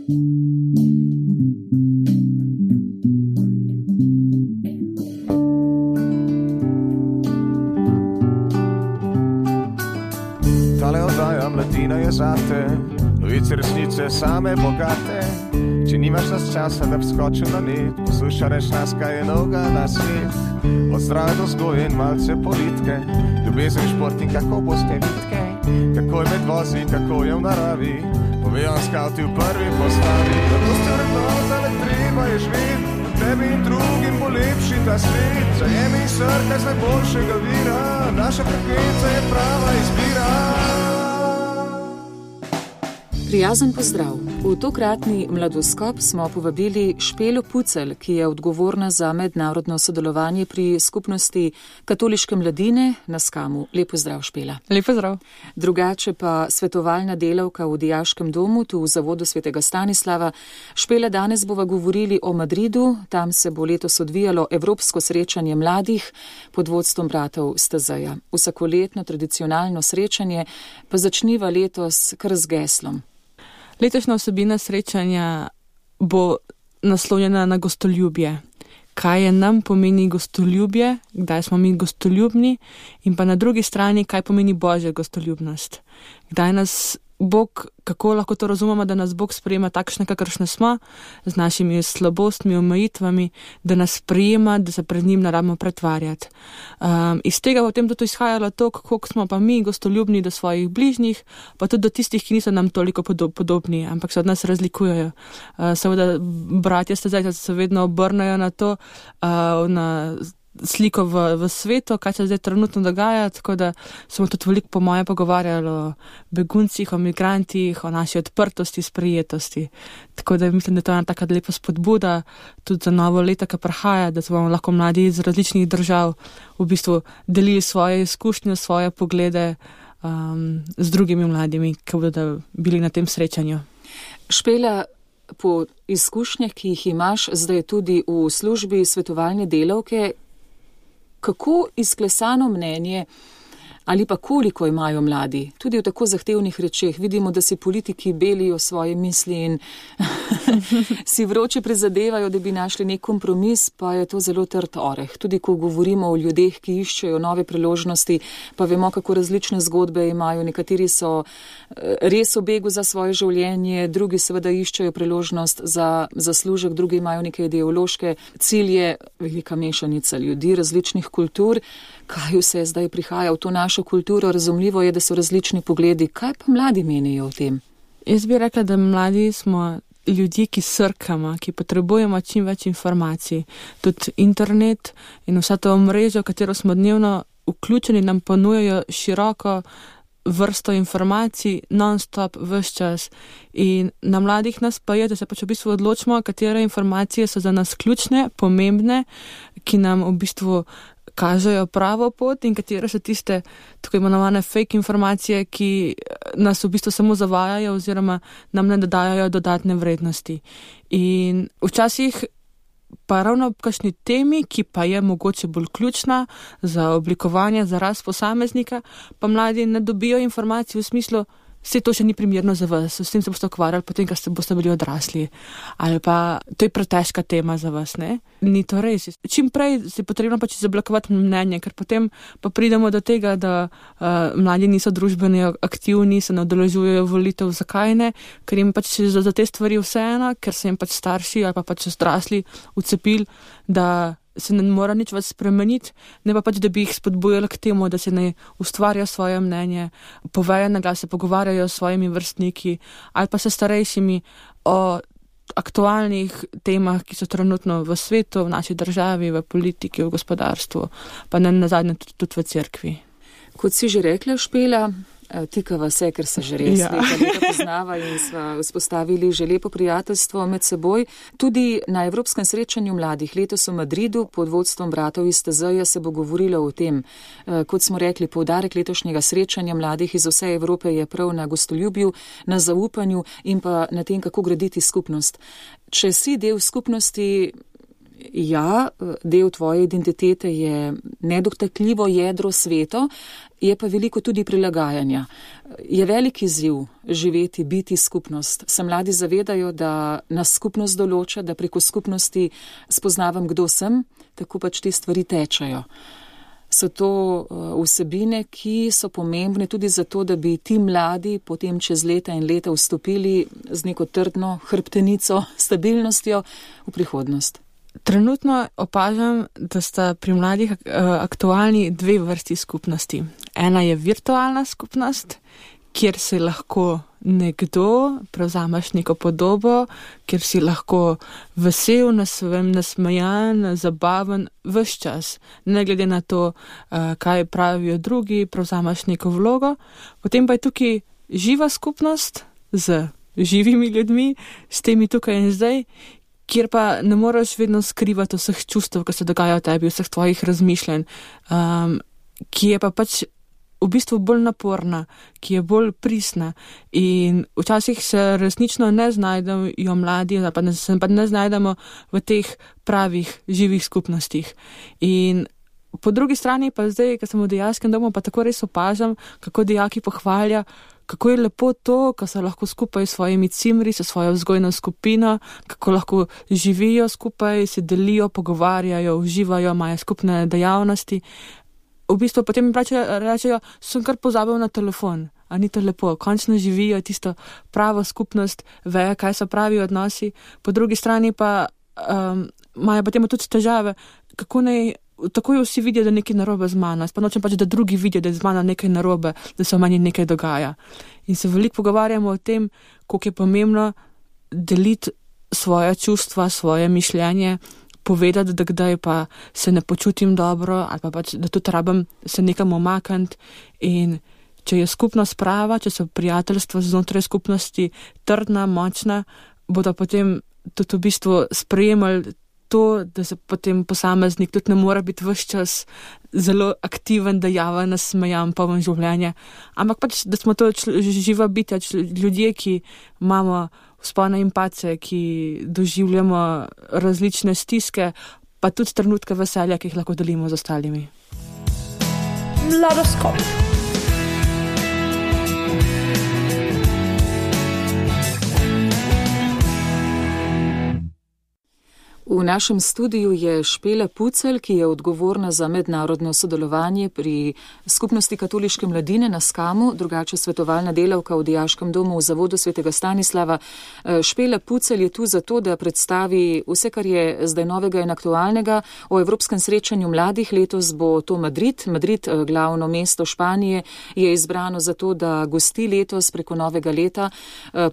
Tale oddaja Mladina je zate, novice resnice same bogate. Če nimaš nas časa, da bi skočil na net, poslušaš nas, kaj je novega na svet. Od zdrave do vzgoje in malce politike, ljubezen, šport in kako boste vitke, kako je med vozi, kako je v naravi, povejo skavti v prvi postavi. Zato ste vrednotali, treba je živeti, tebi in drugim bo lepši ta svet. Zajemi srce z najboljšega vira, naša frekvenca je prava izbira. Prijazen pozdrav. V tokratni Mladoskop smo povabili Špelo Pucelj, ki je odgovorna za mednarodno sodelovanje pri skupnosti katoliške mladine na Skamu. Lep pozdrav, Špela. Lep pozdrav. Drugače pa svetovalna delavka v dijaškem domu, tu v Zavodu svetega Stanislava. Špela, danes bova govorili o Madridu. Tam se bo letos odvijalo Evropsko srečanje mladih pod vodstvom bratov Stazeja. Vsakoletno tradicionalno srečanje pa začniva letos kar z geslom. Letošnja vsebina srečanja bo naslovljena na gostoljubje. Kaj je nam pomeni gostoljubje, kdaj smo mi gostoljubni in pa na drugi strani, kaj pomeni Božja gostoljubnost. Kdaj nas Bog, kako lahko to razumemo, da nas Bog sprejema takšne, kakršne smo, z našimi slabostmi, omejitvami, da nas sprejema, da se pred njim ne rabimo pretvarjati. Iz tega potem tudi izhajalo to, kako smo pa mi gostoljubni do svojih bližnjih, pa tudi do tistih, ki niso nam toliko podobni, ampak se od nas razlikujejo. Seveda, bratje Stazeja se vedno obrnejo na to, na sliko v svetu, kaj se zdaj trenutno dogaja, tako da smo tudi veliko po moje pogovarjali o beguncih, o migrantih, o naši odprtosti, sprijetosti. Tako da mislim, da to je ena taka lepa spodbuda tudi za novo leto, ki prihaja, da se bomo lahko mladi iz različnih držav v bistvu delili svoje izkušnje, svoje poglede z drugimi mladimi, ki bodo bili na tem srečanju. Špela, po izkušnjah, ki jih imaš zdaj tudi v službi svetovalne delavke, kako izklesano mnenje ali pa koliko imajo mladi, tudi v tako zahtevnih rečeh. Vidimo, da si politiki belijo svoje misli in si vroče prizadevajo, da bi našli nek kompromis, pa je to zelo trd oreh. Tudi ko govorimo o ljudeh, ki iščejo nove priložnosti, pa vemo, kako različne zgodbe imajo. Nekateri so res v begu za svoje življenje, drugi seveda iščejo priložnost za zaslužek, drugi imajo neke ideološke cilje, velika mešanica ljudi, različnih kultur. Kaj vse zdaj prihaja v to našo kulturo? Razumljivo je, da so različni pogledi. Kaj pa mladi menijo o tem? Jaz bi rekla, da mladi smo ljudje, ki srkamo, ki potrebujemo čim več informacij. Tudi internet in vsa to omrežje, v katero smo dnevno vključeni, nam ponujajo široko vrsto informacij, non-stop, ves čas. In na mladih nas pa je, da se pač v bistvu odločimo, katere informacije so za nas ključne, pomembne, ki nam v bistvu kažejo pravo pot in katere so tiste tako imenovane fake informacije, ki nas v bistvu samo zavajajo oziroma nam ne dodajajo dodatne vrednosti. In včasih pa ravno v kakšni temi, ki pa je mogoče bolj ključna za oblikovanje, za rast posameznika, pa mladi ne dobijo informacij v smislu, vse to še ni primerno za vas, s tem se boste ukvarjali potem, ko boste bili odrasli. Ali pa to je pretežka tema za vas, ne? Ni to res. Čim prej se potrebno pač izoblikovati mnenje, ker potem pa pridemo do tega, da mladi niso družbeno aktivni, se ne udeležujejo volitev. Zakaj ne? Ker jim pač za te stvari vseeno, ker se jim pač starši ali pa pač odrasli vcepili, da se ne mora nič več spremeniti, ne pa pač, da bi jih spodbujali k temu, da se ne ustvarja svoje mnenje, povejo na glas, se pogovarjajo s svojimi vrstniki ali pa s starejšimi o aktualnih temah, ki so trenutno v svetu, v naši državi, v politiki, v gospodarstvu, pa ne nazadnje tudi v cerkvi. Kot si že rekla, Špela, tikava se, ker se že res leta poznava in sva vzpostavili že lepo prijateljstvo med seboj. Tudi na Evropskem srečanju mladih letos v Madridu pod vodstvom bratov iz Stazeja se bo govorilo o tem. Kot smo rekli, poudarek letošnjega srečanja mladih iz vse Evrope je prav na gostoljubju, na zaupanju in pa na tem, kako graditi skupnost. Če si del skupnosti, ja, del tvoje identitete je nedotakljivo jedro sveto, je pa veliko tudi prilagajanja. Je velik izziv živeti, biti skupnost. Se mladi zavedajo, da nas skupnost določa, da preko skupnosti spoznavam, kdo sem, tako pač te stvari tečajo. So to vsebine, ki so pomembne tudi zato, da bi ti mladi potem čez leta in leta vstopili z neko trdno hrbtenico, stabilnostjo v prihodnost. Trenutno opažam, da sta pri mladih aktualni dve vrsti skupnosti. Ena je virtualna skupnost, kjer si lahko nekdo, prevzameš neko podobo, kjer si lahko vesel, nasmejan, zabaven ves čas. Ne glede na to, kaj pravijo drugi, prevzameš neko vlogo. Potem pa je tukaj živa skupnost z živimi ljudmi, s temi tukaj in zdaj, kjer pa ne moreš vedno skrivati vseh čustev, ki se dogajajo v tebi, vseh tvojih razmišljanj, ki je pa pač v bistvu bolj naporna, ki je bolj pristna in včasih se resnično ne znajdejo mladi, pa ne znajdemo v teh pravih živih skupnostih. In po drugi strani pa zdaj, ko sem v dijaškem domu, pa tako res opažam, kako dijaki pohvalja, kako je lepo to, ko so lahko skupaj s svojimi cimri, s svojo vzgojno skupino, kako lahko živijo skupaj, se delijo, pogovarjajo, uživajo, imajo skupne dejavnosti. V bistvu potem mi rečejo, sem kar pozabil na telefon, a ni to lepo, končno živijo tisto pravo skupnost, vejo, kaj so pravi odnosi, po drugi strani pa imajo potem tudi težave, kako naj takoj vsi vidijo, da nekaj narobe z mano, pa nočem pač, da drugi vidijo, da je z mano nekaj narobe, da se v meni nekaj dogaja. In se veliko pogovarjamo o tem, koliko je pomembno deliti svoje čustva, svoje mišljenje, povedati, da kdaj pa se ne počutim dobro ali pa pač, da tudi rabim se nekam omakniti in če je skupnost prava, če so prijateljstva znotraj skupnosti trdna, močna, bodo potem tudi v bistvu sprejemali to, da se potem posameznik tudi ne mora biti ves čas zelo aktiven, dejaven, nasmejan, poln življenja, ampak pač, da smo to živa bitja, ljudje, ki imamo vzpone in padce, ki doživljamo različne stiske, pa tudi trenutke veselja, ki jih lahko delimo z ostalimi. Mladoskop. V našem studiu je Špela Pucelj, ki je odgovorna za mednarodno sodelovanje pri skupnosti katoliške mladine na Skamu, drugače svetovalna delavka v dijaškem domu v Zavodu svetega Stanislava. Špela Pucelj je tu zato, da predstavi vse, kar je zdaj novega in aktualnega o Evropskem srečanju mladih. Letos bo to Madrid. Madrid, glavno mesto Španije, je izbrano zato, da gosti letos preko novega leta,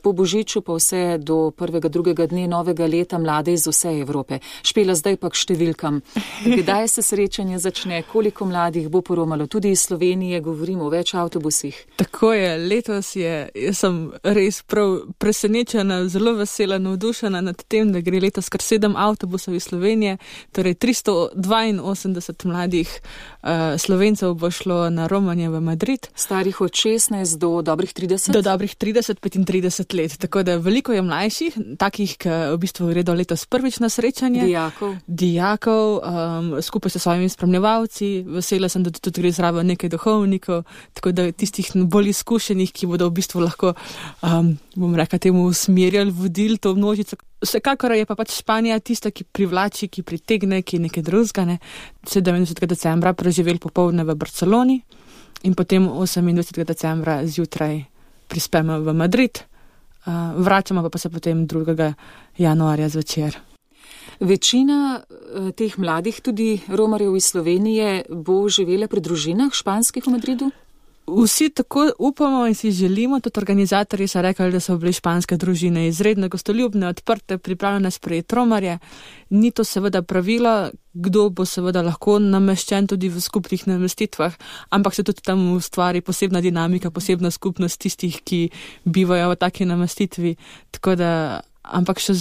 po Božiču pa vse do prvega, drugega dne novega leta mlade iz vse Evrope. Špela, zdaj pa k številkam. Kdaj se srečanje začne, koliko mladih bo poromalo, tudi iz Slovenije, govorimo o več avtobusih. Tako je, letos jaz sem res prav presenečena, zelo vesela, navdušena nad tem, da gre letos kar 7 avtobusov iz Slovenije, torej 382 mladih Slovencev bo šlo na romanje v Madrid. Starih od 16 do dobrih 30? Do dobrih 30-35 let, tako da veliko je mlajših, takih, ki v bistvu gredo letos prvič na srečanje. Dijakov, skupaj s svojimi spremljevalci, vesela sem, da tudi gre zraven nekaj duhovnikov, tako da tistih bolj izkušenih, ki bodo v bistvu lahko, bom rekla temu, usmerjali, vodili to množico. Vsekakor je pa pač Španija tista, ki privlači, ki pritegne, ki nekaj drugega, 27. decembra preživeli popoldne v Barceloni in potem 28. decembra zjutraj prispemo v Madrid, vračamo pa se potem 2. januarja zvečer. Večina teh mladih, tudi romarjev iz Slovenije, bo živela pri družinah španskih v Madridu? Vsi tako upamo in si želimo, tudi organizatorji so rekli, da so bile španske družine izredno gostoljubne, odprte, pripravljene sprejeti romarje. Ni to seveda pravilo, kdo bo seveda lahko nameščen tudi v skupnih namestitvah, ampak se tudi tam ustvari posebna dinamika, posebna skupnost tistih, ki bivajo v taki namestitvi. Tako da ampak še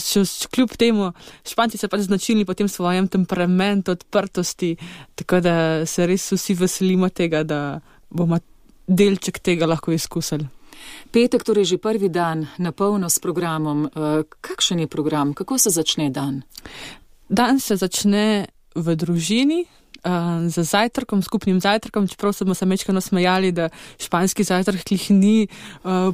kljub temu, Španci so pač značilni po tem svojem temperamentu, odprtosti, tako da se res vsi veselimo tega, da bomo delček tega lahko izkusili. Petek, torej že prvi dan, na polno s programom. Kakšen je program? Kako se začne dan? Dan se začne v družini, z zajtrkom, skupnim zajtrkom, čeprav smo se mečkano smejali, da španski zajtrk ni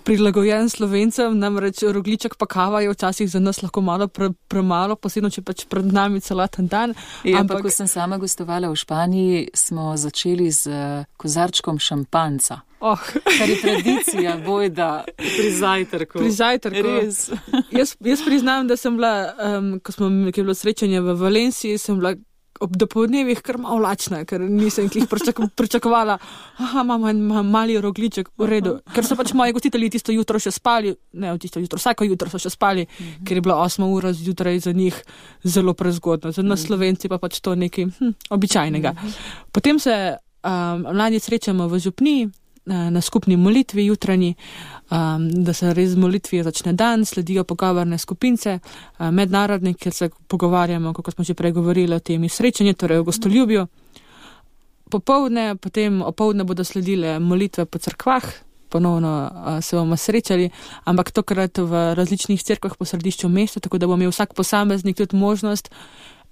prilagojen Slovencem, namreč rogljiček pa kava je včasih za nas lahko malo premalo, posebno, če pač pred nami celoten dan. Ampak ko sem sama gostovala v Španiji, smo začeli z kozarčkom šampanca. Kar je tradicija bojda pri zajtrku. Pri zajtrku. Res. Jaz priznam, da sem bila, ko je bilo srečanje v Valenciji, sem bila ob dopoldnevih kar malo lačna, ker nisem jih pričakovala. Imamo en mali rogljiček, v redu. Ker so pač moji gostitelji tisto jutro še spali, vsako jutro so še spali, ker je bila 8 ura zjutraj za njih zelo prezgodno. Za nas Slovenci pa pač to nekaj običajnega. Potem se mladi srečamo v župniji, na skupni molitvi jutranji, da se res z molitvijo začne dan, sledijo pogovorne skupince, mednarodne, kjer se pogovarjamo, kako smo že prej govorili o temi srečanju, torej o gostoljubju. Opoldne bodo sledile molitve po cerkvah, ponovno se bomo srečali, ampak tokrat v različnih cerkvah po središču mesta, tako da bo imel vsak posameznik tudi možnost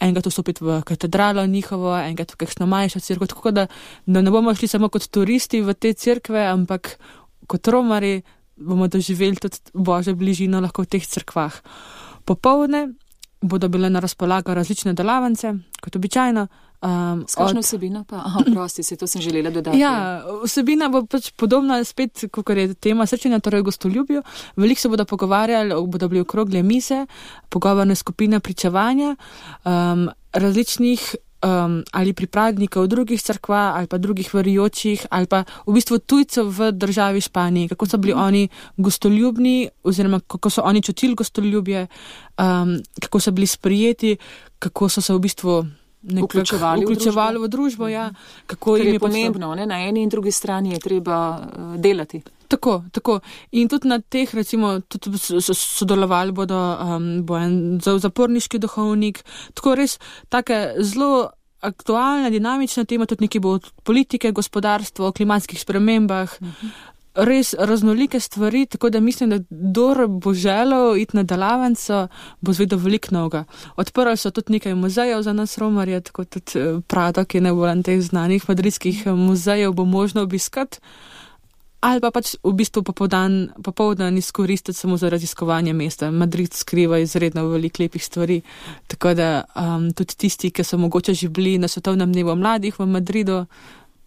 enkrat vstopiti v katedralo njihovo, enkrat v kakšno manjšo cerkev, tako da ne bomo šli samo kot turisti v te cerkve, ampak kot romari bomo doživeli tudi Božjo bližino lahko v teh cerkvah. Popoldne bodo bile na razpolago različne delavnice, kot običajno. S kakšno vsebino pa? To sem želela dodati. Ja, vsebina bo pač podobna spet, kot je tema srečanja, torej gostoljubju. Veliko se bodo pogovarjali, bodo bili okrogle mise, pogovorne skupine, pričevanja, različnih ali pripadnikov drugih cerkva ali pa drugih verujočih ali pa v bistvu tujcev v državi Španiji, kako so bili oni gostoljubni oziroma kako so oni čutili gostoljubje, kako so bili sprijeti, kako so se v bistvu vključevali v družbo. Ja, kako je pomembno, ne? Na eni in drugi strani je treba delati. Tako. In tudi na teh, recimo, tudi sodelovali bo en zaporniški duhovnik, tako res take zelo aktualna, dinamična tema, tudi nekaj bo od politike, gospodarstva, o klimatskih spremembah, res raznolike stvari, tako da mislim, da kdor bo želel iti na delavnico, bo zvedel veliko novega. Odprli so tudi nekaj muzejev za nas romarje, tako tudi Prado, ki je najbolj teh znanih madridskih muzejev, bo možno obiskati. Ali pa pač v bistvu popoldan izkoristiti samo za raziskovanje mesta. Madrid skriva izredno veliko lepih stvari, tako da tudi tisti, ki so mogoče že bili na svetovnem dnevu mladih v Madridu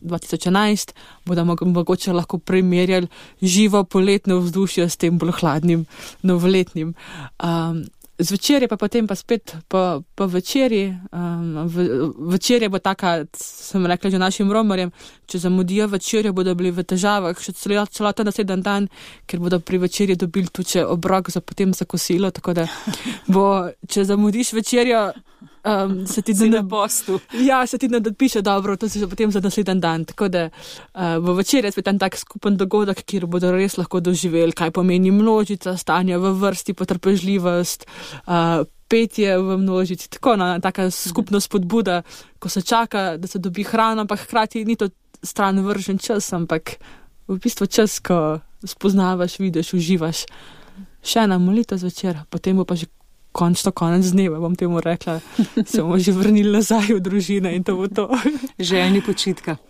2011, bodo mogoče lahko primerjali živo poletno vzdušje s tem bolj hladnim novoletnim. Zvečer je pa potem pa spet po večerji. Večerja bo taka, sem rekla že našim romarjem, če zamudijo večerjo, bodo bili v težavah še celoten naslednji dan, ker bodo pri večerji dobili tudi obrok potem za kosilo, tako da bo, če zamudiš večerjo, se ti na postu. Ja, se ti ne dopiše dobro, to si že potem za naslednji dan. Tako da bo večer je spet en tak skupen dogodek, kjer bodo res lahko doživeli, kaj pomeni množica, stanje v vrsti, potrpežljivost, petje v množici, tako taka skupna spodbuda, ko se čaka, da se dobi hrana, ampak hkrati ni to stran vržen čas, ampak v bistvu čas, ko spoznavaš, vidiš, uživaš. Še ena molitev zvečer, potem bo pa že končno konec dneva, bom temu rekla, se bomo že vrnili nazaj v družine in to bo to. Željni počitka.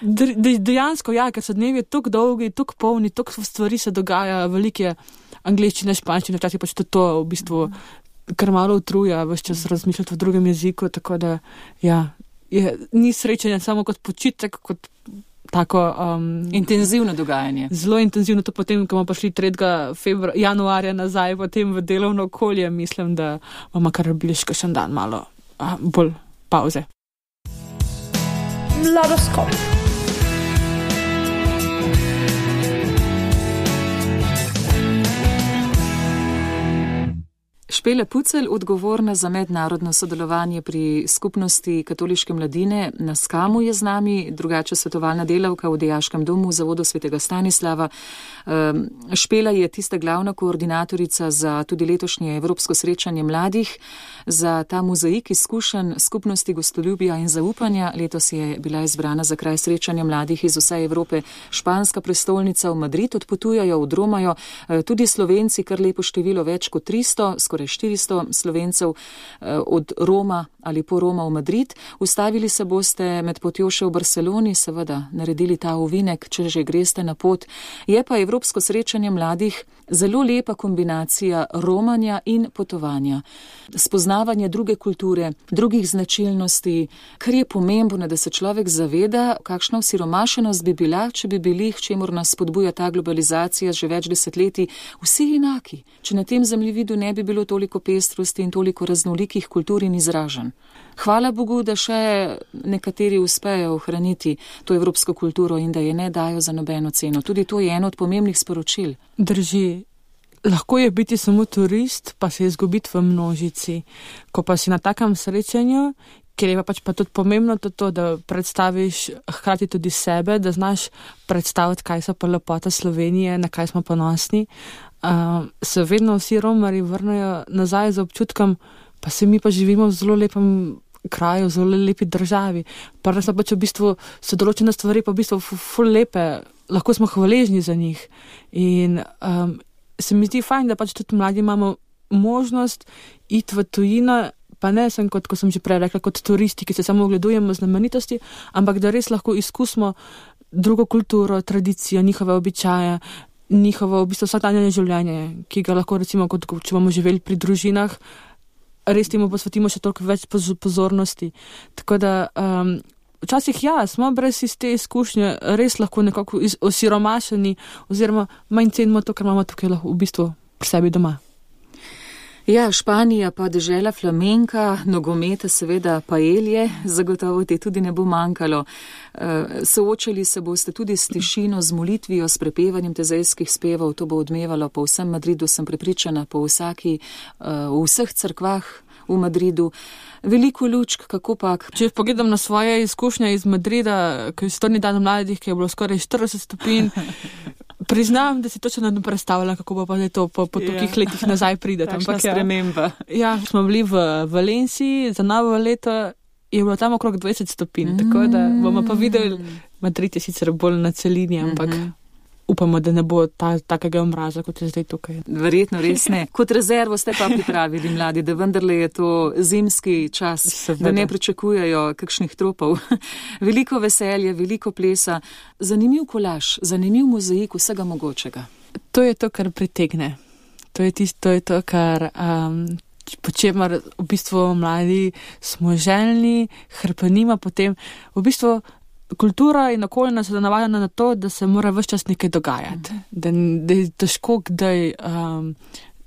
Dejansko, ja, ker so dnevi tako dolgi, tako polni, tako stvari se dogaja, velike angleščine, španščine, včasih pač to v bistvu kar malo utruja, ves čas razmišljati v drugem jeziku, tako da, ja, ni srečanja samo kot počitek, kot tako intenzivno dogajanje. Zelo intenzivno, to potem, ko bomo prišli 3. januarja nazaj, potem v delovno okolje, mislim, da bomo kar bili še kakšen dan malo bolj pauze. Mladoskop. Špela Pucelj, odgovorna za mednarodno sodelovanje pri skupnosti katoliške mladine na Skamu, je z nami, drugače svetovalna delavka v Dijaškem domu v Zavodu svetega Stanislava. Špela je tista glavna koordinatorica za tudi letošnje Evropsko srečanje mladih, za ta mozaik izkušenj skupnosti gostoljubja in zaupanja. Letos je bila izbrana za kraj srečanja mladih iz vse Evrope španska prestolnica v Madrid, odpotujajo, odromajo tudi Slovenci, kar lepo število, več kot 300, skoraj 400 Slovencev od Roma ali po Roma v Madrid. Ustavili se boste med potjo še v Barceloni, seveda naredili ta ovinek, če že greste na pot. Je pa Evropsko srečanje mladih zelo lepa kombinacija romanja in potovanja. Spoznavanje druge kulture, drugih značilnosti, kar je pomembno, da se človek zaveda, kakšna osiromašenost bi bila, če bi bili, k čemur nas spodbuja ta globalizacija že več desetletij, vsi enaki, če na tem zemljevidu ne bi bilo toliko pestrosti in toliko raznolikih kultur in izražanj. Hvala Bogu, da še nekateri uspejo ohraniti to evropsko kulturo in da je ne dajo za nobeno ceno. Tudi to je eno od pomembnih sporočil. Drži. Lahko je biti samo turist, pa se izgubiti v množici. Ko pa si na takem srečanju, ker je pa tudi pomembno to, da predstaviš hkrati tudi sebe, da znaš predstaviti, kaj so pa lepota Slovenije, na kaj smo ponosni, se vedno vsi romarji vrnejo nazaj z občutkom, pa se mi pa živimo v zelo lepem kraju, v zelo lepi državi. Pa res pa v bistvu so določene stvari pa v bistvu ful lepe, lahko smo hvaležni za njih. In se mi zdi fajn, da tudi mladi imamo možnost iti v tujino, pa ne sem kot, ko sem že prej rekla, kot turisti, ki se samo ogledujemo znamenitosti, ampak da res lahko izkusimo drugo kulturo, tradicijo, njihove običaje, njihovo v bistvu vsakdanje življenje, ki ga lahko recimo, kot če bomo živeli pri družinah, res temu posvetimo še toliko več pozornosti. Tako da včasih smo brez te izkušnje res lahko nekako osiromašeni oziroma manj cenimo to, kar imamo tukaj lahko v bistvu pri sebi doma. Ja, Španija pa dežela flamenka, nogometa, seveda paelje, zagotovo ti tudi ne bo manjkalo. Soočali se boste tudi s tišino, z molitvijo, s prepevanjem tezejskih spevov, to bo odmevalo po vsem Madridu, sem prepričana, po v vseh cerkvah v Madridu. Veliko lučk, kako pak? Če pogledam na svoje izkušnje iz Madrida, ko je 100. dan mladih, ki je bilo skoraj 40 stopinj, priznam, da si točno ne predstavljam, kako bo pa to po tolikih letih nazaj pride. Takšna sprememba. Ja, smo bili v Valenciji, za novo leto je bilo tam okrog 20 stopinj, tako da bomo pa videli, Madrid je sicer bolj na celini, ampak upamo, da ne bo takega mraza, kot je zdaj tukaj. Verjetno res ne. Kot rezervo ste pa pripravili mladi, da vendarle je to zimski čas, da ne pričakujejo kakšnih tropov. Veliko veselja, veliko plesa, zanimiv kolaž, zanimiv mozaik vsega mogočega. To je to, kar pritegne. To je to, kar po čemer v bistvu mladi smo željni, hrpenimo potem. V bistvu kultura in okolje nas je navajena na to, da se mora ves čas nekaj dogajati, da je težko, kdaj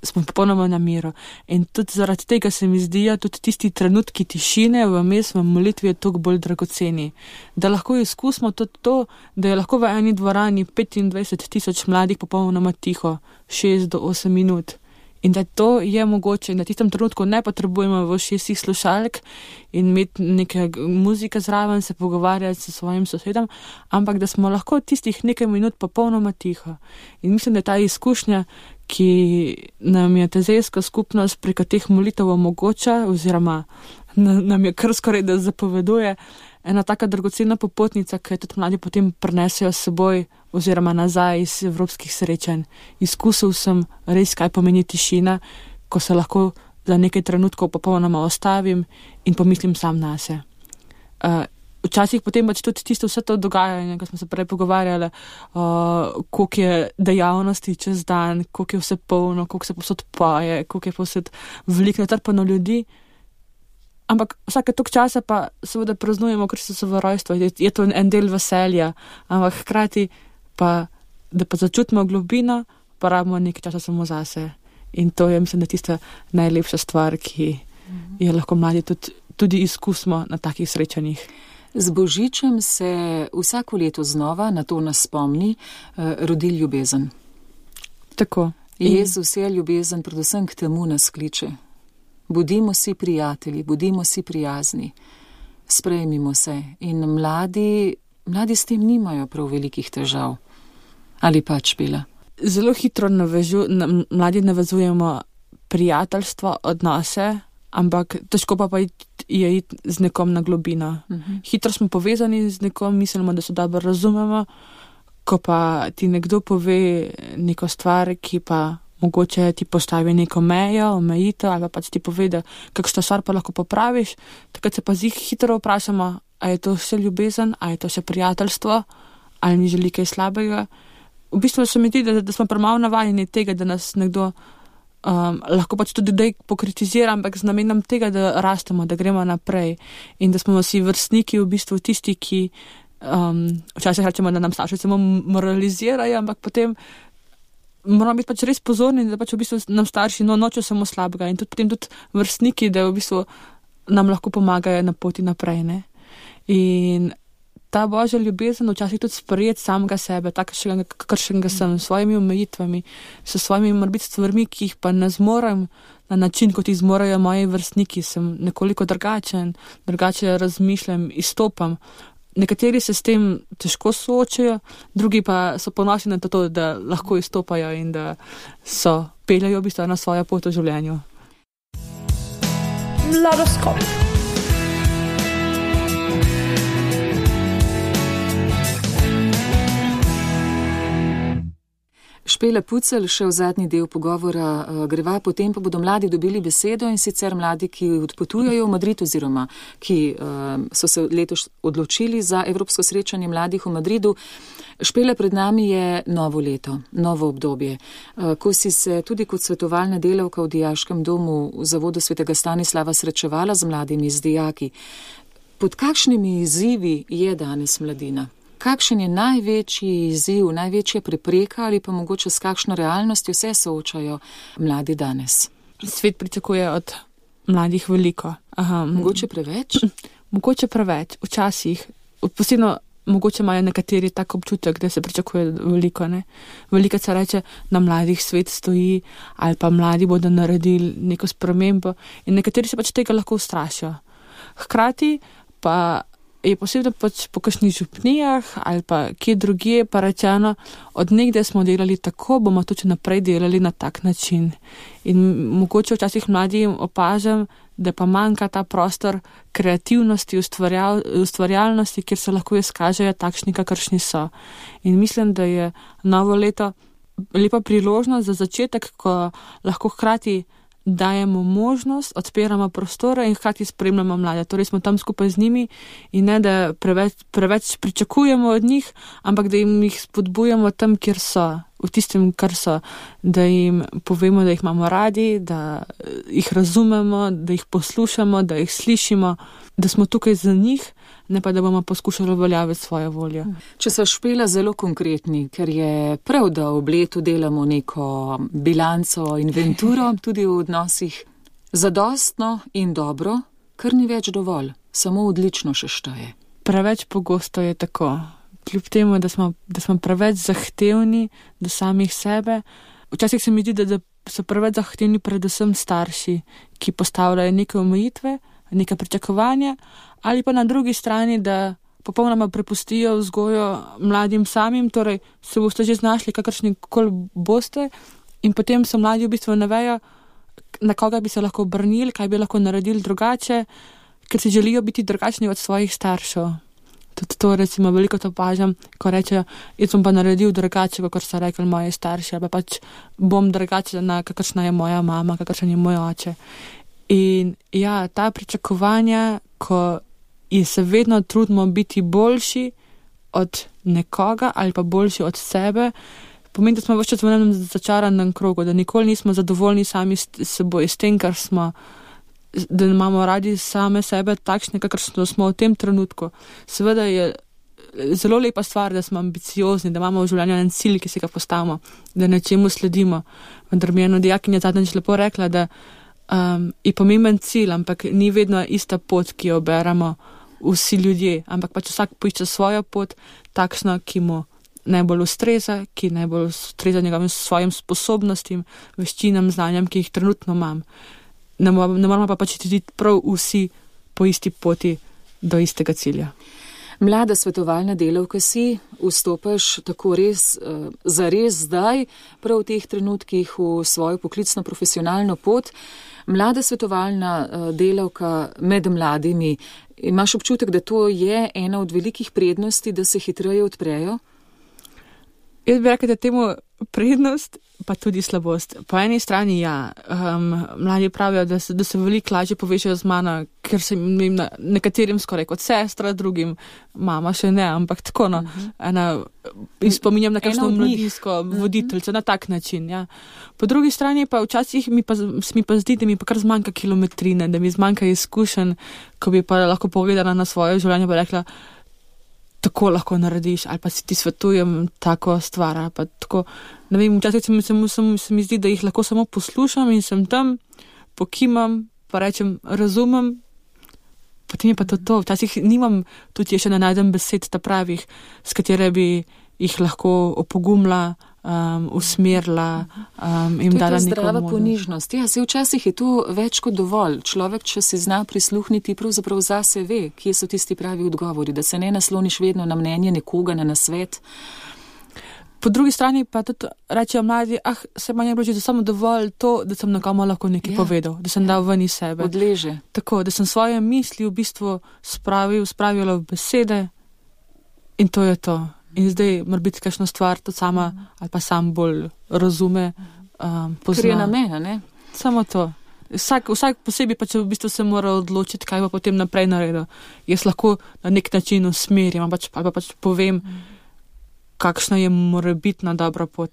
smo popolnoma na miru. In tudi zaradi tega se mi zdijo tudi tisti trenutki tišine vmes v molitvi je toliko bolj dragoceni. Da lahko izkusimo tudi to, da je lahko v eni dvorani 25,000 mladih popolnoma tiho, 6 do 8 minut. In da to je mogoče, na tistem trenutku ne potrebujemo v 6 slušalk in imeti neke muzike zraven, se pogovarjati s svojim sosedom, ampak da smo lahko tistih nekaj minut popolnoma tiho. In mislim, da je ta izkušnja, ki nam je tezejska skupnost preko teh molitev omogoča, oziroma nam je kar skoraj da zapoveduje, ena taka dragocena popotnica, ki jo tudi mladi potem prinesejo s seboj oziroma nazaj iz evropskih srečanj. Izkusil sem res, kaj pomeni tišina, ko se lahko za nekaj trenutkov popolnoma ostavim in pomislim sam nase. Včasih potem tudi tisto vse to dogajanje, ko smo se prej pogovarjali, koliko je dejavnosti čez dan, koliko je vse polno, koliko se posod poje, koliko je posod veliko natrpano ljudi. Ampak vsake toliko časa pa seveda praznujemo Kristusovo rojstvo, je to en del veselja, ampak hkrati pa, da pa začutimo globino, pa rabimo nekaj časa samo zase. In to je, mislim, da tista najlepša stvar, ki je lahko mladi tudi izkusimo na takih srečanjih. Z Božičem se vsako leto znova, na to nas spomni, rodi ljubezen. Tako. Jezus je ljubezen, predvsem k temu nas kliče. Bodimo si prijatelji, bodimo si prijazni, sprejmimo se. In mladi s tem nimajo prav velikih težav. Ali pač bila? Zelo hitro mladi navezujemo prijateljstvo, odnose, ampak težko pa je iti z nekom na globino. Hitro smo povezani z nekom, mislimo, da se dobro razumemo, ko pa ti nekdo pove neko stvar, ki pa mogoče ti postavi neko mejo, omejitev ali pa ti pove, da kakšno stvar pa lahko popraviš, takrat se pa hitro vprašamo, a je to še ljubezen, a je to še prijateljstvo, ali mi želi kaj slabega. V bistvu se mi zdi, da smo premalo navajeni tega, da nas nekdo lahko pač tudi dej pokritizira, ampak z namenom tega, da rastemo, da gremo naprej in da smo si vrstniki v bistvu tisti, ki včasih rečemo, da nam starši samo moralizirajo, ampak potem moramo biti pač res pozorni, da pač v bistvu nam starši nočejo samo slabega in potem tudi vrstniki, da v bistvu nam lahko pomagajo na poti naprej, ne. In ta božja ljubezen včasih tudi sprejeti samega sebe, kakršnega sem, s svojimi omejitvami, s svojimi morbiti stvarmi, ki jih pa ne zmorem na način, kot jih zmorajo moji vrstniki, sem nekoliko drugačen, drugače razmišljam, izstopam. Nekateri se s tem težko soočajo, drugi pa so ponosni na to, da lahko izstopajo in da peljajo v bistvu na svojo pot v življenju. Mladoskop. Špela Pucelj, še v zadnji del pogovora greva, potem pa bodo mladi dobili besedo in sicer mladi, ki odpotujejo v Madrid oziroma ki so se letos odločili za Evropsko srečanje mladih v Madridu. Špela, pred nami je novo leto, novo obdobje. Ko si se tudi kot svetovalna delavka v dijaškem domu v Zavodu svetega Stanislava srečevala z mladimi, z dijaki, pod kakšnimi izzivi je danes mladina? Kakšen je največji izziv, največja prepreka ali pa mogoče s kakšno realnostjo se soočajo mladi danes? Svet pričakuje od mladih veliko. Mogoče preveč? Mogoče preveč, včasih. Posebno mogoče imajo nekateri tak občutek, da se pričakuje veliko, ne. Veliko se reče, na mladih svet stoji ali pa mladi bodo naredili neko spremembo in nekateri se pač tega lahko ustrašijo. Hkrati pa je posebno pač po kakšnih župnijah ali pa kje drugje pa rečeno, od nekdaj smo delali tako, bomo tudi naprej delali na tak način. In mogoče včasih mladim opažam, da pa manjka ta prostor kreativnosti, ustvarjalnosti, kjer se lahko izkažejo takšni, kakršni so. In mislim, da je novo leto lepa priložnost za začetek, ko lahko hkrati dajemo možnost, odpiramo prostore in hkrati spremljamo mlade. Torej smo tam skupaj z njimi in ne, da preveč pričakujemo od njih, ampak da jih spodbujamo tam, kjer so, v tistem, kar so, da jim povemo, da jih imamo radi, da jih razumemo, da jih poslušamo, da jih slišimo, da smo tukaj za njih, ne pa da bomo poskušali uveljaviti svojo voljo. Če so Špela zelo konkretni, ker je prav, da ob letu delamo neko bilanco, inventuro, tudi v odnosih, zadostno in dobro, kar ni več dovolj, samo odlično še šteje. Preveč pogosto je tako. Kljub temu, da smo preveč zahtevni do samih sebe, včasih se mi zdi, da so preveč zahtevni predvsem starši, ki postavljajo neke omejitve, neka pričakovanja, ali pa na drugi strani, da popolnoma prepustijo vzgojo mladim samim, torej se boste že znašli, kakršni koli boste, in potem so mladi v bistvu ne vejo, na koga bi se lahko obrnili, kaj bi lahko naredili drugače, ker si želijo biti drugačni od svojih staršev. Tudi to recimo veliko to opažam, ko rečejo, jaz bom pa naredil drugače, kot so rekli moji starši, ali pa pač bom drugačna, kakršna je moja mama, kakršen je moj oče. In ja, ta pričakovanja, ko se vedno trudimo biti boljši od nekoga ali pa boljši od sebe, pomeni, da smo vse čas v enem začaranem krogu, da nikoli nismo zadovoljni sami s seboj, s tem, kar smo, da imamo radi same sebe takšne, kakršno smo v tem trenutku. Seveda je zelo lepa stvar, da smo ambiciozni, da imamo v življenju en cilj, ki si ga postavimo, da nečemu sledimo. Vendar mi je ena dijakinja zadnjič lepo rekla, da je pomemben cilj, ampak ni vedno ista pot, ki jo beremo vsi ljudje, ampak pač vsak poišče svojo pot, takšno, ki mu najbolj ustreza, ki najbolj ustreza njegovim svojim sposobnostim, veščinam, znanjem, ki jih trenutno imam. Ne moramo pa pač tudi prav vsi po isti poti do istega cilja. Mlada svetovalna delavka si, vstopaš tako res, zares zdaj, prav v teh trenutkih v svojo poklicno profesionalno pot. Mlada svetovalna delavka med mladimi, imaš občutek, da to je ena od velikih prednosti, da se hitreje odprejo? Jaz bi rekel, da temu prednost, pa tudi slabost. Po eni strani, mladi pravijo, da se veliko lažje povežejo z mano, ker se jim nekaterim skoraj kot sestra, drugim mama še ne, ampak tako, spominjam na kakšno mladinsko voditeljico na tak način, ja. Po drugi strani pa včasih mi pa zdi, da mi pa kar zmanjka kilometrine, da mi zmanjka izkušenj, ko bi pa lahko pogledala na svoje življenje pa rekla, tako lahko narediš, ali pa si ti svetujem tako stvar, ali pa tako, ne vem, včasih se mi zdi, da jih lahko samo poslušam in sem tam, pokimam, pa rečem, razumem, potem je pa to. Včasih nimam, tudi še ne najdem besed ta pravih, s katere bi jih lahko opogumila, usmerila, jim dala neko možnost. To je ta zdrava ponižnost. Ja, se včasih je to več kot dovolj. Človek, če si zna prisluhniti, pravzaprav zase ve, kje so tisti pravi odgovori, da se ne nasloniš vedno na mnenje nekoga, na nasvet. Po drugi strani pa tudi rečejo mladi, se manj je bilo samo dovolj to, da sem nekomu lahko nekaj povedal, da sem dal ven iz sebe. Odleže. Tako, da sem svoje misli v bistvu spravila v besede in to je to. In zdaj mora biti kakšna stvar, to sama ali pa sam bolj razume, pozna. Ker je namen, ne? Samo to. Vsak posebej pa če v bistvu se mora odločiti, kaj bo potem naprej naredil. Jaz lahko na nek način usmerim, ali pa povem, kakšna je morebitna dobra pot.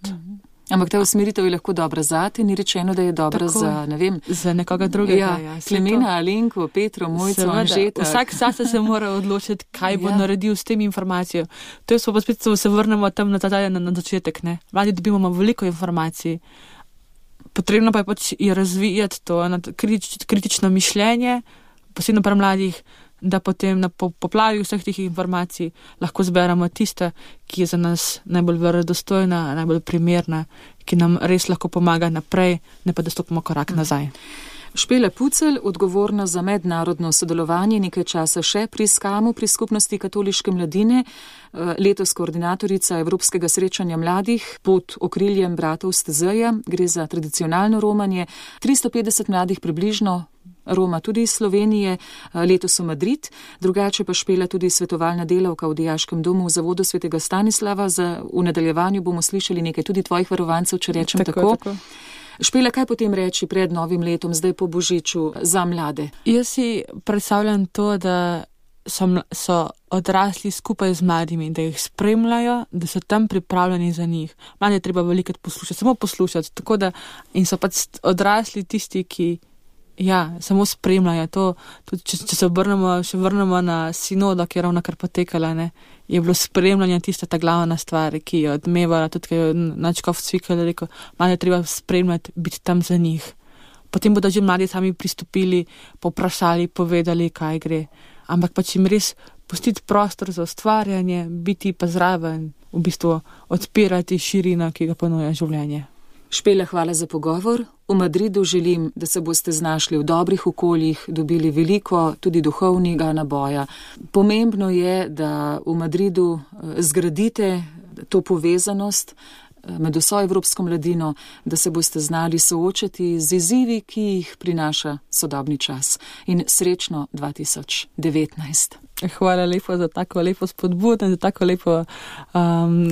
Ampak ta usmeritev je lahko dobra zate, ni rečeno, da je dobra tako, za, ne vem, za nekoga drugega. Klemena, Alenko, Petro, Mojco, Anžeta. Vsak zase se mora odločiti, kaj bo naredil s tem informacijo. To je pa spet, se vrnemo tam na začetek, ne. Mladi dobimo veliko informacij. Potrebno pa je razvijati to kritično mišljenje, posebno pri mladih, da potem na poplavi vseh teh informacij lahko zberemo tiste, ki je za nas najbolj verodostojna, najbolj primerna, ki nam res lahko pomaga naprej, ne pa da stopimo korak nazaj. Špela Pucelj, odgovorna za mednarodno sodelovanje, nekaj časa še pri SKAM-u, pri Skupnosti katoliške mladine, letos koordinatorica Evropskega srečanja mladih pod okriljem bratov Stezeja, gre za tradicionalno romanje, 350 mladih približno Roma tudi iz Slovenije, letos v Madrid, drugače pa Špela tudi svetovalna delavka v dijaškem domu v Zavodu svetega Stanislava. V nadaljevanju bomo slišali nekaj tudi tvojih varovancev, če rečem tako. Špela, kaj potem reči pred novim letom, zdaj po Božiču, za mlade? Jaz si predstavljam to, da so odrasli skupaj z mladimi, da jih spremljajo, da so tam pripravljeni za njih. Mlade je treba velikrat poslušati, samo poslušati, tako da in so pač odrasli tisti, ki samo spremljajo to. Tudi, če se vrnemo na sinodo, ki je ravno kar potekala, ne, je bilo spremljanje tista ta glavna stvar, ki je odmevala, tudi ki je Nadškof Cvikl rekel, mlade je treba spremljati, biti tam za njih. Potem bodo že mladi sami pristopili, poprašali, povedali, kaj gre. Ampak pač jim res pustiti prostor za ustvarjanje, biti pa zraven, v bistvu odpirati širino, ki ga ponuja življenje. Špela, hvala za pogovor. V Madridu želim, da se boste znašli v dobrih okoljih, dobili veliko tudi duhovnega naboja. Pomembno je, da v Madridu zgradite to povezanost med vso evropsko mladino, da se boste znali soočati z izzivi, ki jih prinaša sodobni čas. In srečno 2019. Hvala lepo za tako lepo spodbudo in za tako lepo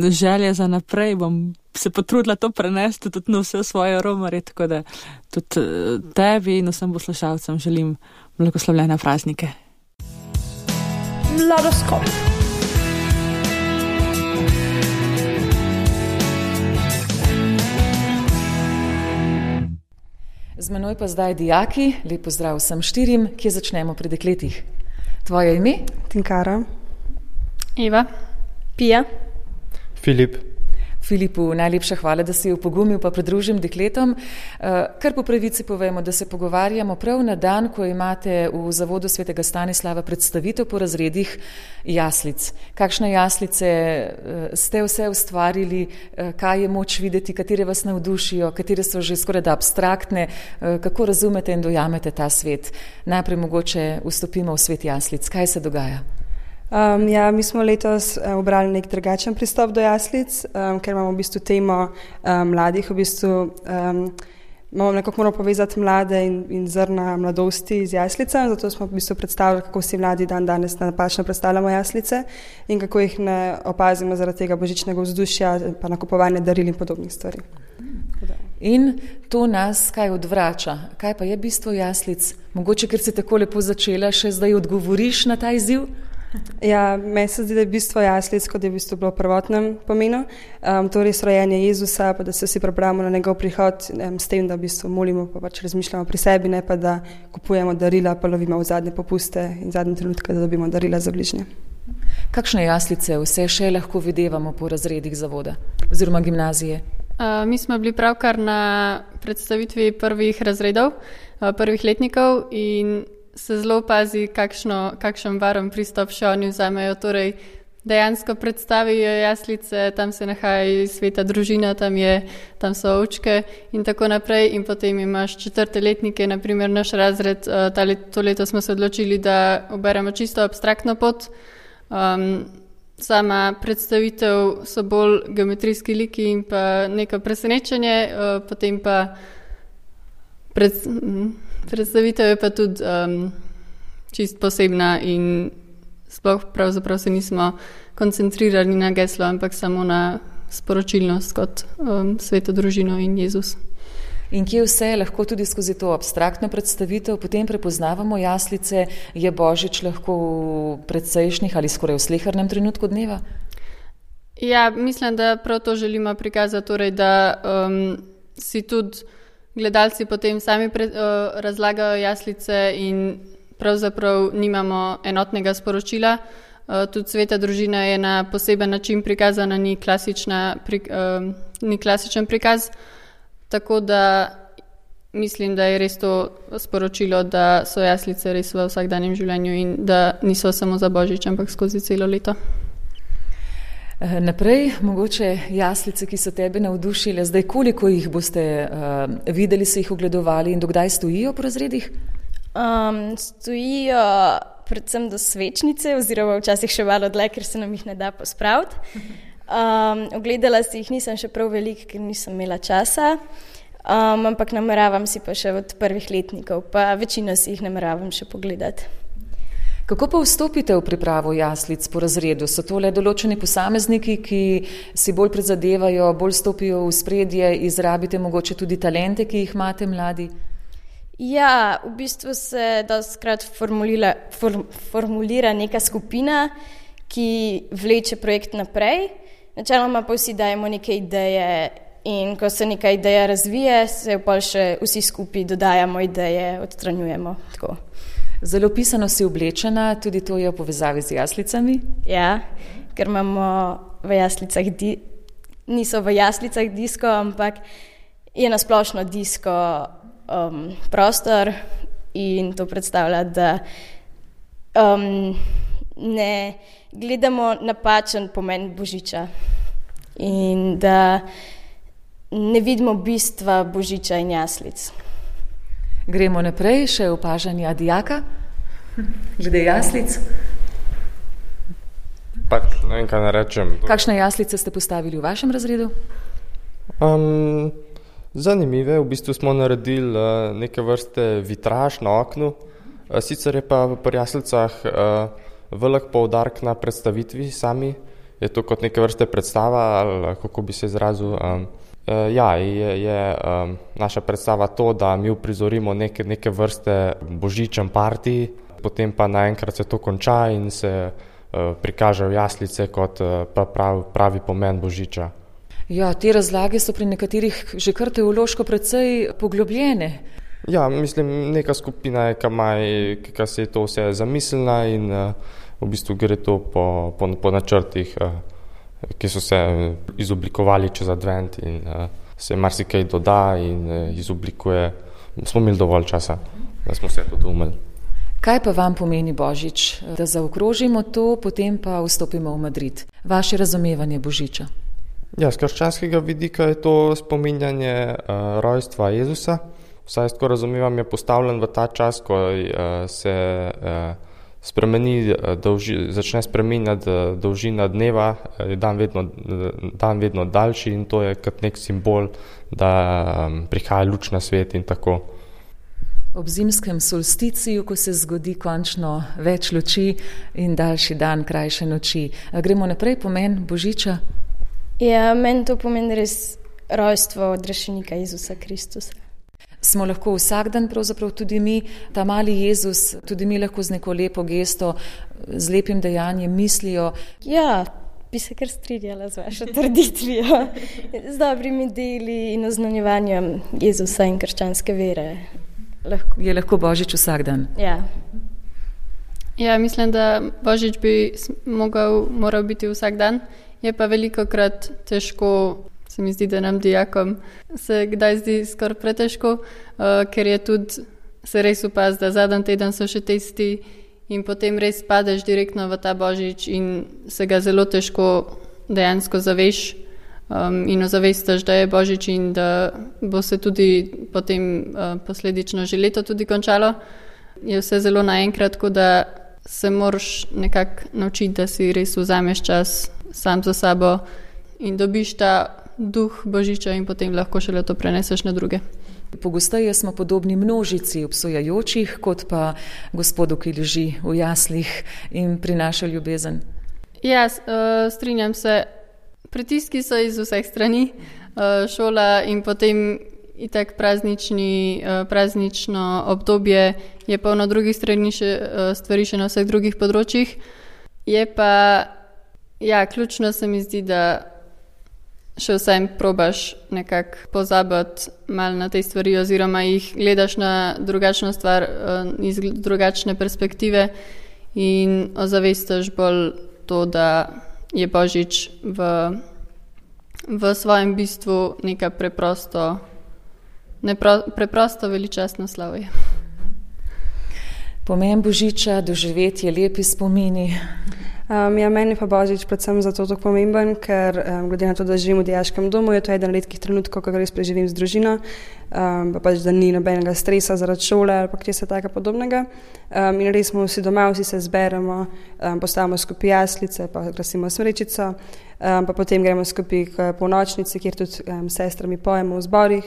želje za naprej. Bom se potrudila to prenesti tudi na vse svoje romarje, tako da tudi tebi in vsem poslušalcem želim blagoslovljene praznike. Mladoskop. Z menoj pa zdaj dijaki, lep pozdrav vsem štirim, kje začnemo pri dekletih. Tvoje ime? Tinkara. Eva. Pija. Filip. Filipu, najlepša hvala, da si opogumil pa pridružim dekletom. Kar po pravici povemo, da se pogovarjamo prav na dan, ko imate v Zavodu svetega Stanislava predstavitev po razredih jaslic. Kakšne jaslice ste vse ustvarili, kaj je moč videti, katere vas navdušijo, katere so že skoraj da abstraktne, kako razumete in dojamete ta svet. Najprej mogoče vstopimo v svet jaslic. Kaj se dogaja? Mi smo letos obrali nek drugačen pristop do jaslic, ker imamo v bistvu temo mladih, v bistvu nekako moramo povezati mlade in zrna mladosti z jaslicami, zato smo v bistvu predstavljali, kako si mladi danes napačno predstavljamo jaslice in kako jih ne opazimo zaradi tega božičnega vzdušja, pa nakupovanja daril in podobnih stvari. In to nas kaj odvrača? Kaj pa je bistvo jaslic? Mogoče, ker si tako lepo začela, še zdaj odgovoriš na ta izziv? Ja, meni se zdi, da je bistvo jaslic, kot je v bistvu bilo v prvotnem pomenu, to res rojenje Jezusa, pa da se vsi pripravimo na njegov prihod, s tem, da v bistvu molimo, pa pač razmišljamo pri sebi, ne pa da kupujemo darila, pa lovimo v zadnje popuste in zadnje trenutke, da dobimo darila za bližnje. Kakšne jaslice vse še lahko videvamo po razredih zavoda oziroma gimnazije? Mi smo bili pravkar na predstavitvi prvih razredov, prvih letnikov in se zelo opazi, kakšen varen pristop še oni vzamejo. Torej, dejansko predstavijo jaslice, tam se nahaja sveta družina, tam so ovčke in tako naprej. In potem imaš 4. letnike, naprimer naš razred, to leto smo se odločili, da oberemo čisto abstraktno pot. Sama predstavitev so bolj geometrijski liki in pa neko presenečenje, potem pa predstavitev je pa tudi čist posebna in sploh pravzaprav se nismo koncentrirali na geslo, ampak samo na sporočilnost kot sveto družino in Jezus. In kje vse lahko tudi skozi to abstraktno predstavitev potem prepoznavamo jaslice? Je Božič lahko v predsejšnjih ali skoraj v slehernem trenutku dneva? Ja, mislim, da prav to želimo prikazati, torej, da si tudi gledalci potem sami razlagajo jaslice in pravzaprav nimamo enotnega sporočila. Tudi sveta družina je na poseben način prikazana, ni klasičen prikaz. Tako da mislim, da je res to sporočilo, da so jaslice res v vsakdanjem življenju in da niso samo za Božič, ampak skozi celo leto. Naprej, mogoče jaslice, ki so tebe navdušile, zdaj koliko jih boste videli, se jih ogledovali in dokdaj stojijo po razredih? Stojijo predvsem do svečnice oziroma včasih še malo dlje, ker se nam jih ne da pospraviti. Ogledala si jih nisem še prav veliko, ker nisem imela časa, ampak nameravam si pa še od prvih letnikov, pa večino si jih nameravam še pogledati. Kako pa vstopite v pripravo jaslic po razredu? So to le določeni posamezniki, ki si bolj prizadevajo, bolj stopijo v spredje, izrabite mogoče tudi talente, ki jih imate mladi? Ja, v bistvu se dostikrat formulira neka skupina, ki vleče projekt naprej. Načeloma pa vsi dajemo neke ideje in ko se neka ideja razvije, se pol še vsi skupaj dodajamo ideje, odstranjujemo. Tako. Zelo pisano si oblečena, tudi to je v povezavi z jaslicami? Ja, ker imamo v jaslicah, niso v jaslicah disko, ampak je nasplošno disko prostor in to predstavlja, da ne gledamo napačen pomen Božiča in da ne vidimo bistva Božiča in jaslic. Gremo naprej, še opažanja dijaka, glede jaslic. Pač ne vem, kaj ne rečem. Kakšne jaslice ste postavili v vašem razredu? Zanimive, v bistvu smo naredili neke vrste vitraž na oknu, sicer je pa pri jaslicah velik poudarek na predstavitvi sami, je to kot neke vrste predstava, ali kako bi se izrazil. Je naša predstava to, da mi uprizorimo neke vrste božičen party, potem pa naenkrat se to konča in se prikažejo jaslice kot pravi pomen Božiča. Ja, te razlage so pri nekaterih že kar teološko precej poglobljene. Ja, mislim, neka skupina je, ki se je to vse zamislila in v bistvu gre to po načrtih, ki so se izoblikovali čez advent in se marsikaj doda in izoblikuje. Smo imeli dovolj časa, da smo vse to doumeli. Kaj pa vam pomeni Božič? Da zaokrožimo to, potem pa vstopimo v Madrid. Vaše razumevanje Božiča? Ja, z krščanskega vidika je to spominjanje rojstva Jezusa. Vsaj tako razumevam, je postavljen v ta čas, ko se začne spremenjati dolžina dneva, je dan vedno daljši in to je kot nek simbol, da prihaja luč na svet in tako. Ob zimskem solsticiju, ko se zgodi končno več luči in daljši dan, krajše noči. Gremo naprej, pomen Božiča? Ja, meni to pomeni res rojstvo od rešenika Jezusa Kristusa. Smo lahko vsak dan, pravzaprav tudi mi, ta mali Jezus, tudi mi lahko z neko lepo gesto, z lepim dejanjem mislijo. Ja, bi se kar strinjala z vašo trditvijo, z dobrimi deli in oznanjevanjem Jezusa in krščanske vere. Je lahko Božič vsak dan? Ja. Ja, mislim, da Božič bi moral biti vsak dan, je pa velikokrat težko. Se mi zdi, da nam dijakom se kdaj zdi skoraj pretežko, ker je tudi se res opaz, da zadnji teden so še testi in potem res padeš direktno v ta Božič in se ga zelo težko dejansko zaveš in ozavestaš, da je Božič in da bo se tudi potem posledično že leto tudi končalo. Je vse zelo naenkrat, tako da se moraš nekako naučiti, da si res vzameš čas sam za sabo in dobiš ta duh Božiča in potem lahko šele to preneseš na druge. Pogosteje smo podobni množici obsojajočih, kot pa gospodu, ki leži v jaslih in prinaša ljubezen. Ja, strinjam se. Pritiski so iz vseh strani, šola in potem itak praznično obdobje je polno drugih stvari še na vseh drugih področjih. Je pa, ja, ključno se mi zdi, da še vsem probaš nekako pozabiti malo na te stvari oziroma jih gledaš na drugačno stvar iz drugačne perspektive in ozavestaš bolj to, da je Božič v svojem bistvu neka preprosto veličastno slavje. Pomen Božiča, doživetje, lepi spomini. Ja, meni pa Božič predvsem zato tako pomemben, ker glede na to, da živim v dijaškem domu, je to eden redkih trenutkov, ko ga res preživim z družino, pa pač, da ni nobenega stresa zaradi šole ali pa česa taka podobnega. In res smo vsi doma, vsi se zberemo, postavimo skupaj jaslice, pa krasimo smrečico, pa potem gremo skupaj k polnočnici, kjer tudi sestrami pojemo v zborih.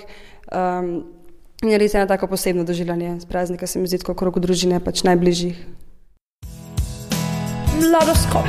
In res je eno tako posebno doživljanje z praznika, se mi zdi tako krog družine, pač najbližjih. Mladoskop.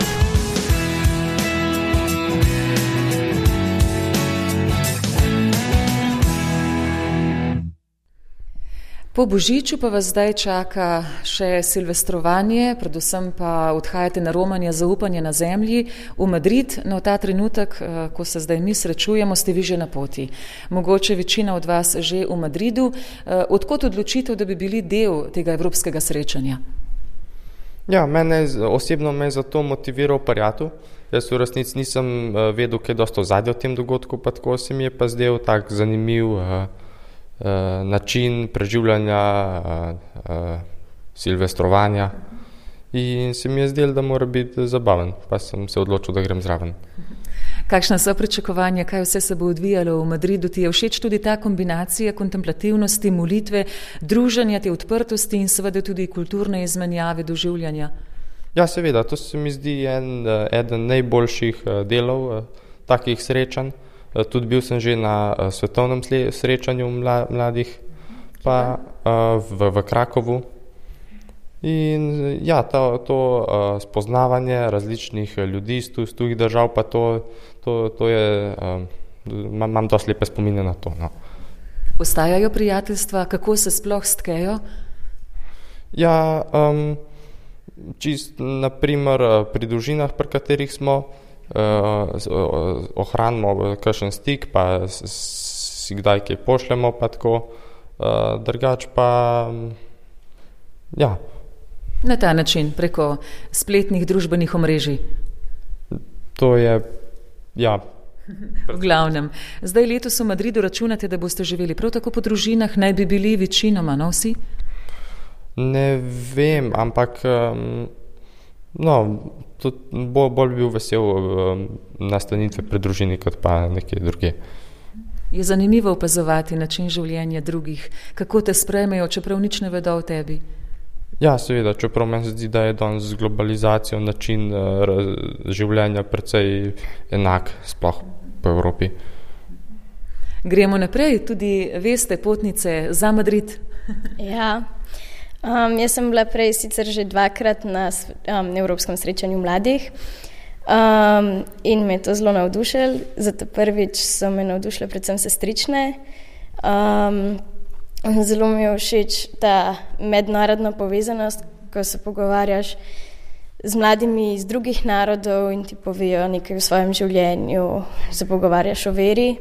Po Božiču pa vas zdaj čaka še silvestrovanje, predvsem pa odhajate na romanje zaupanje na zemlji v Madrid. No, ta trenutek, ko se zdaj mi srečujemo, ste vi že na poti. Mogoče večina od vas že v Madridu. Odkot odločitev, da bi bili del tega evropskega srečanja? Ja, osebno me je zato motiviral prijatelj. Jaz v resnici nisem vedel, kaj dosto ozadja v tem dogodku, pa tako se mi je pa zdel tak zanimiv način preživljanja silvestrovanja in se mi je zdel, da mora biti zabaven, pa sem se odločil, da grem zraven. Kakšna so pričakovanja, kaj vse se bo odvijalo v Madridu? Ti je všeč tudi ta kombinacija kontemplativnosti, molitve, druženja, te odprtosti in seveda tudi kulturne izmenjave, doživljanja? Ja, seveda, to se mi zdi eden najboljših delov takih srečanj. Tudi bil sem že na svetovnem srečanju mladih, pa v Krakovu. In ja, to spoznavanje različnih ljudi iz tujih držav, pa to je, imam dosti lepe spomine na to. No. Ostajajo prijateljstva, kako se sploh stkejo? Ja, naprimer pri družinah, pri katerih smo, ohranimo kakšen stik, pa si kdaj kaj pošljemo, pa tako, drugač pa, ja. Na ta način, preko spletnih družbenih omrežij. To je, ja. V glavnem. Zdaj letos v Madridu računate, da boste živeli prav tako po družinah, naj bi bili večinoma, no vsi? Ne vem, ampak bolj bi bil vesel nastanitve pred družini, kot pa nekje druge. Je zanimivo opazovati način življenja drugih, kako te sprejmejo, čeprav nič ne vedo o tebi. Ja, seveda, čeprav meni se zdi, da je danes z globalizacijo način življenja precej enak, sploh po Evropi. Gremo naprej, tudi veste, potnice za Madrid. Ja, jaz sem bila prej sicer že 2-krat na Evropskem srečanju mladih in me je to zelo navdušilo. Zato prvič so me navdušile predvsem sestrične. Zelo mi je všeč ta mednarodna povezanost, ko se pogovarjaš z mladimi iz drugih narodov in ti povejo nekaj o svojem življenju, se pogovarjaš o veri.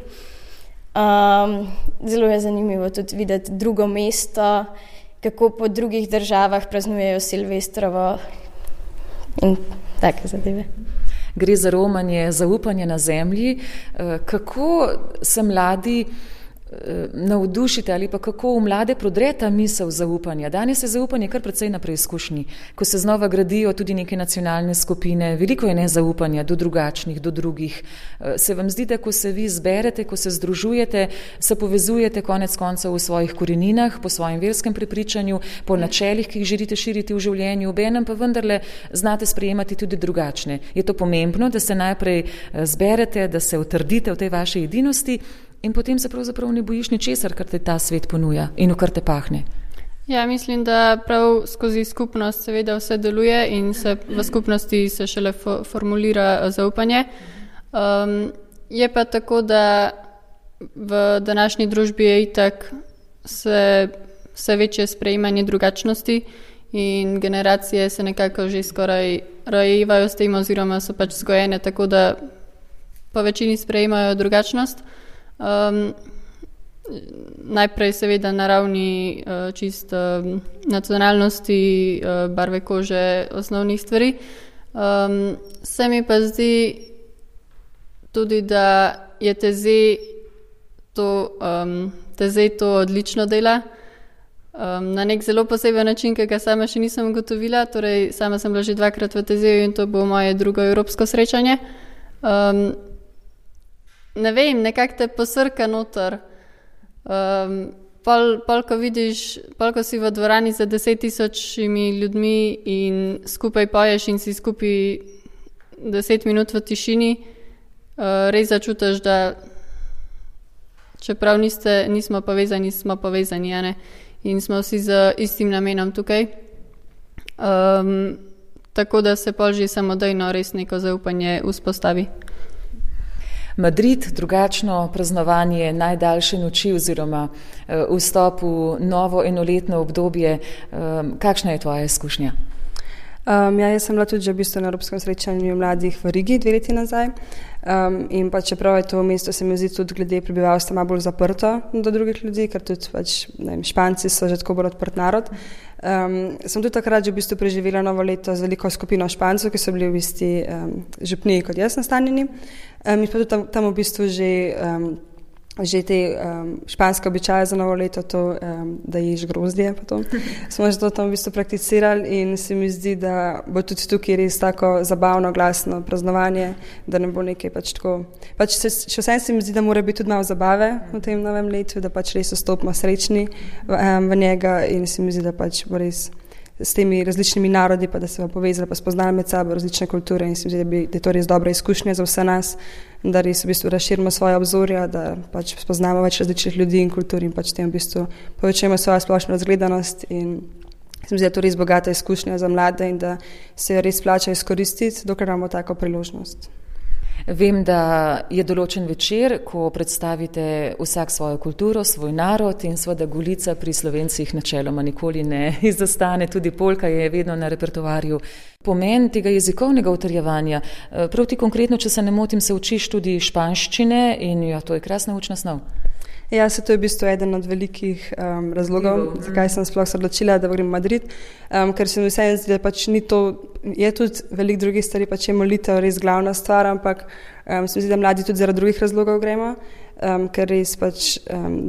Zelo je zanimivo tudi videti drugo mesto, kako po drugih državah praznujejo Silvestrovo in take zadeve. Gre za romanje, zaupanje na zemlji. Kako se mladi navdušite ali pa kako v mlade prodre ta misel zaupanja? Danes je zaupanje kar precej na preizkušnji. Ko se znova gradijo tudi neke nacionalne skupine, veliko je nezaupanja do drugačnih, do drugih. Se vam zdi, da ko se vi zberete, ko se združujete, se povezujete konec koncev v svojih koreninah, po svojem verskem prepričanju, po načelih, ki jih želite širiti v življenju, obenem pa vendarle znate sprejemati tudi drugačne. Je to pomembno, da se najprej zberete, da se utrdite v tej vaši edinosti in potem se pravzaprav ne bojiš ničesar, kar te ta svet ponuja in v kar te pahne? Ja, mislim, da prav skozi skupnost seveda vse deluje in se v skupnosti se šele formulira zaupanje. Je pa tako, da v današnji družbi je itak vse večje sprejemanje drugačnosti in generacije se nekako že skoraj rojevajo s tem oziroma so pač vzgojene tako, da po večini sprejemajo drugačnost. Najprej seveda na ravni čist nacionalnosti, barve kože, osnovnih stvari. Se mi pa zdi tudi, da je Tezej to odlično dela. Na nek zelo poseben način, ki ga sama še nisem ugotovila. Torej, sama sem bila že 2-krat v Tezeju in to bo moje drugo evropsko srečanje. Ne vem, nekako te posrka noter. Pol, ko vidiš, ko si v dvorani za 10.000 ljudmi in skupaj poješ in si skupaj 10 minut v tišini, res začutiš, da čeprav nismo povezani, smo povezani, ne? In smo vsi z istim namenom tukaj. Tako da se pol že samodejno res neko zaupanje vzpostavi. Madrid, drugačno praznovanje najdaljše noči oziroma vstop v novo enoletno obdobje. Kakšna je tvoja izkušnja? Jaz sem bila tudi že v bistvu na Evropskem srečanju mladih v Rigi 2 leti nazaj. In pa čeprav je to mesto, se mi zdi tudi glede prebivalstva malo bolj zaprto do drugih ljudi, ker tudi Španci so že tako bolj odprt narod. Sem tudi takrat že v bistvu preživela novo leto z veliko skupino Špancov, ki so bili v isti župniji kot jaz nastanjeni. Mi pa tudi tam v bistvu že te španske običaje za novo leto, to, da ješ grozdje, pa to. Smo že to tam v bistvu prakticirali in se mi zdi, da bo tudi tukaj res tako zabavno, glasno praznovanje, da ne bo nekaj pač tako. Pač še vsem se mi zdi, da mora biti tudi malo zabave v tem novem letu, da pač res vstopimo srečni v njega in se mi zdi, da pač bo res s temi različnimi narodi, pa da se bo povezali, pa spoznali med sabo različne kulture in se mi zdi, da je to res dobra izkušnja za vse nas, da res v bistvu razširimo svoje obzorja, da pač spoznamo več različnih ljudi in kultur in pač tem v bistvu povečujemo svojo splošno razgledanost in se mi zdi, da je to res bogata izkušnja za mlade in da se jo res splača izkoristiti, dokler imamo tako priložnost. Vem, da je določen večer, ko predstavite vsak svojo kulturo, svoj narod in seveda Golica pri Slovencih načeloma nikoli ne izostane, tudi polka je vedno na repertoarju. Pomen tega jezikovnega utrjevanja, prav ti konkretno, če se ne motim, se učiš tudi španščine in ja, to je krasna učna snov. Ja, to je v bistvu eden od velikih razlogov, zakaj sem sploh se odločila, da grem v Madrid, ker se mi vseeno zdi, da pač ni to, je tudi veliko drugih stvari, pač je molitev res glavna stvar, ampak se mi zdi, da mladi tudi zaradi drugih razlogov gremo, ker res pač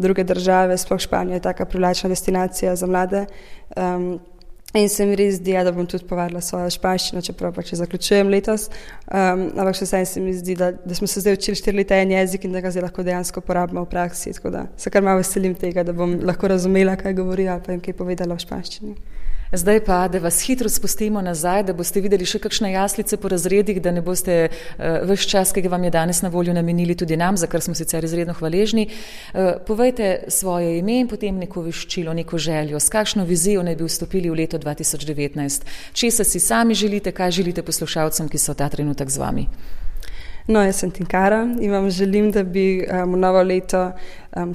druge države, sploh Španija je taka privlačna destinacija za mlade. In se mi res zdi, da bom tudi povadila svojo španščino, čeprav pač zaključujem letos. Ampak še vsem se mi zdi, da smo se zdaj učili 4 leta en jezik in da ga zdaj lahko dejansko uporabimo v praksi. Tako da se kar malo veselim tega, da bom lahko razumela, kaj govorijo, pa jim kaj povedala v španščini. Zdaj pa, da vas hitro spustimo nazaj, da boste videli še kakšne jaslice po razredih, da ne boste ves čas, ki ga vam je danes na voljo, namenili tudi nam, za kar smo sicer izredno hvaležni. Povejte svoje ime in potem neko veščilo, neko željo, s kakšno vizijo naj bi vstopili v leto 2019. Česa si sami želite, kaj želite poslušalcem, ki so ta trenutek z vami? No, jaz sem Tinkara in vam želim, da bi v novo leto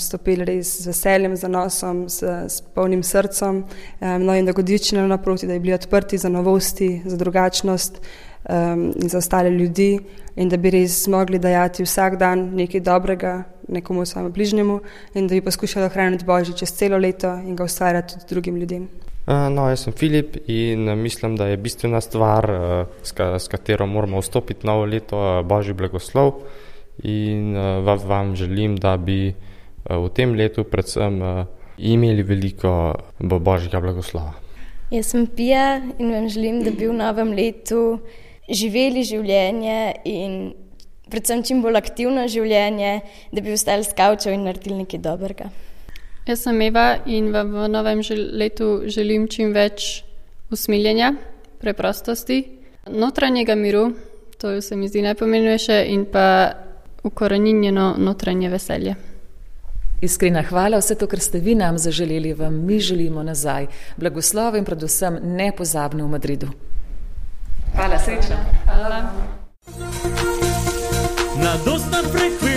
stopili res z veseljem, z zanosom, s polnim srcem, no in da godične naproti, da bi bili odprti za novosti, za drugačnost in za ostale ljudi in da bi res zmogli dajati vsak dan nekaj dobrega nekomu svojemu bližnjemu in da bi poskušali ohraniti Božji čez celo leto in ga ustvarjati tudi drugim ljudem. No, jaz sem Filip in mislim, da je bistvena stvar, s katero moramo vstopiti novo leto, Božji blagoslov in vam želim, da bi v tem letu predvsem imeli veliko Božjega blagoslova. Jaz sem Pija in vam želim, da bi v novem letu živeli življenje in predvsem čim bolj aktivno življenje, da bi ostali s kavčev in naredili nekaj dobrega. Jaz sem Eva in vam v novem letu želim čim več usmiljenja, preprostosti, notranjega miru, to se mi zdi najpomembnejše, in pa ukoreninjeno notranje veselje. Iskrena hvala, vse to, kar ste vi nam zaželeli, vam mi želimo nazaj. Blagoslov in predvsem nepozabno v Madridu. Hvala, srečno. Hvala. Na dosta frekvenci